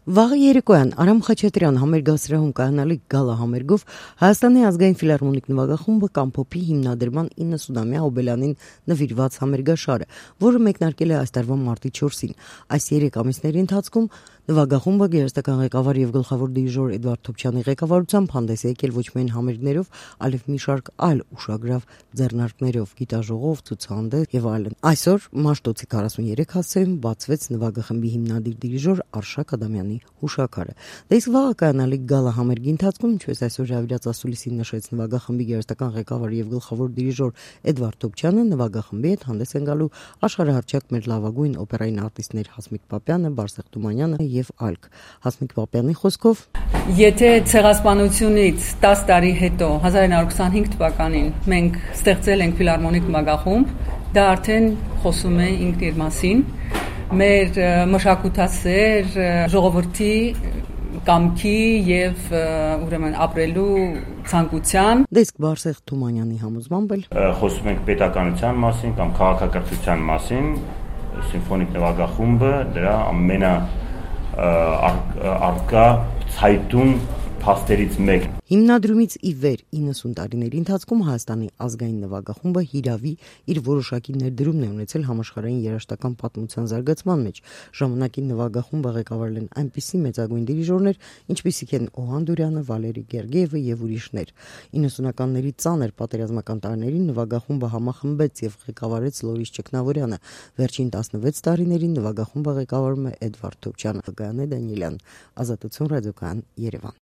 Վաղը երեկոյան Արամ Խաչատրյան համերգասրահում կայանալիք գալա համերգով Հայաստանի ազգային ֆիլհարմոնիկ նվագախումբը կամփոփի հիմնադրման 90-ամյա հոբելյանին նվիրված համերգաշարը, որը մեկնարկել է այս տարվա մարտի 4-ին։ Այս 3 ամիսների ընթացքում նվագախումբը գերեզտական ղեկավար եւ գլխավոր դիրիժոր Էդվարդ Թոփչյանի ղեկավարությամբ հանդես է եկել ոչ միայն համերգներով, այլև մի շարք այլ ուշագրավ ձեռնարկներով, գիտաժողով, ցուցահանդես եւ այլն։ Այսօր Մաշտոցի 43 հասցեում բացվեց նվագախմբի հիմնադիր դիրիժոր Արշակ Ադամյանի հուշաքարը։ Դե իսկ վաղը կայանալիք գալա համերգի ընթացքում, ինչպես այսօր Ժավիլաց ասուլիսին նշեց նվագախմբի գերեզտական ղեկավար եւ գլխավոր դիրիժոր Էդվարդ Թոփչյանը, նվագախմբի հետ հանդես են գալու աշխարհահռչակ մեր լավագույն օպերային արտիստներ Հասմիկ Պապյանը, Բարսեղ Թումանյանը եւ այլք։ Հասմիկ Պապյանի խոսքով. Եթե ցեղասպանությունից 10 տարի հետո 1925 թվականին մենք ստեղծել ենք ֆիլհարմոնիկ նվագախումբ, դա արդեն խոսում է ինքն իր մասին, մեր մշակութասեր ժողովրդի կամքի եւ ուրեմն ապրելու ցանկության։ Դեսկ Բարսեղ Թումանյանի համոզմամբ էլ խոսում ենք պետականության մասին կամ քաղաքակրթության մասին, սիմֆոնիկ նվագախումբը դրա արկա ցայտուն փաստերից մեկն։ Հիմնադրումից ի վեր 90 տարիների ընթացքում Հայաստանի ազգային նվագախումբը հիրավի իր որոշակի ներդրումն է ունեցել համաշխարհային երաժշտական պատմության զարգացման մեջ։ Ժամանակին նվագախումբը ղեկավարել են այնպիսի մեծագույն դիրիժորներ, ինչպիսիք են Օհան Դուրյանը, Վալերի Գերգիևը եւ ուրիշներ։ 90-ականների ծանր պատերազմական տարիներին նվագախումբը համախմբեց եւ ղեկավարեց Լորիս Ճգնավորյանը։ Վերջին 16 տարիներին նվագախումբը ղեկավարում է Էդվարդ Թոփչյանը, Գայանե Դանիելյան, Ազատություն ռադիոկայան, Երևան։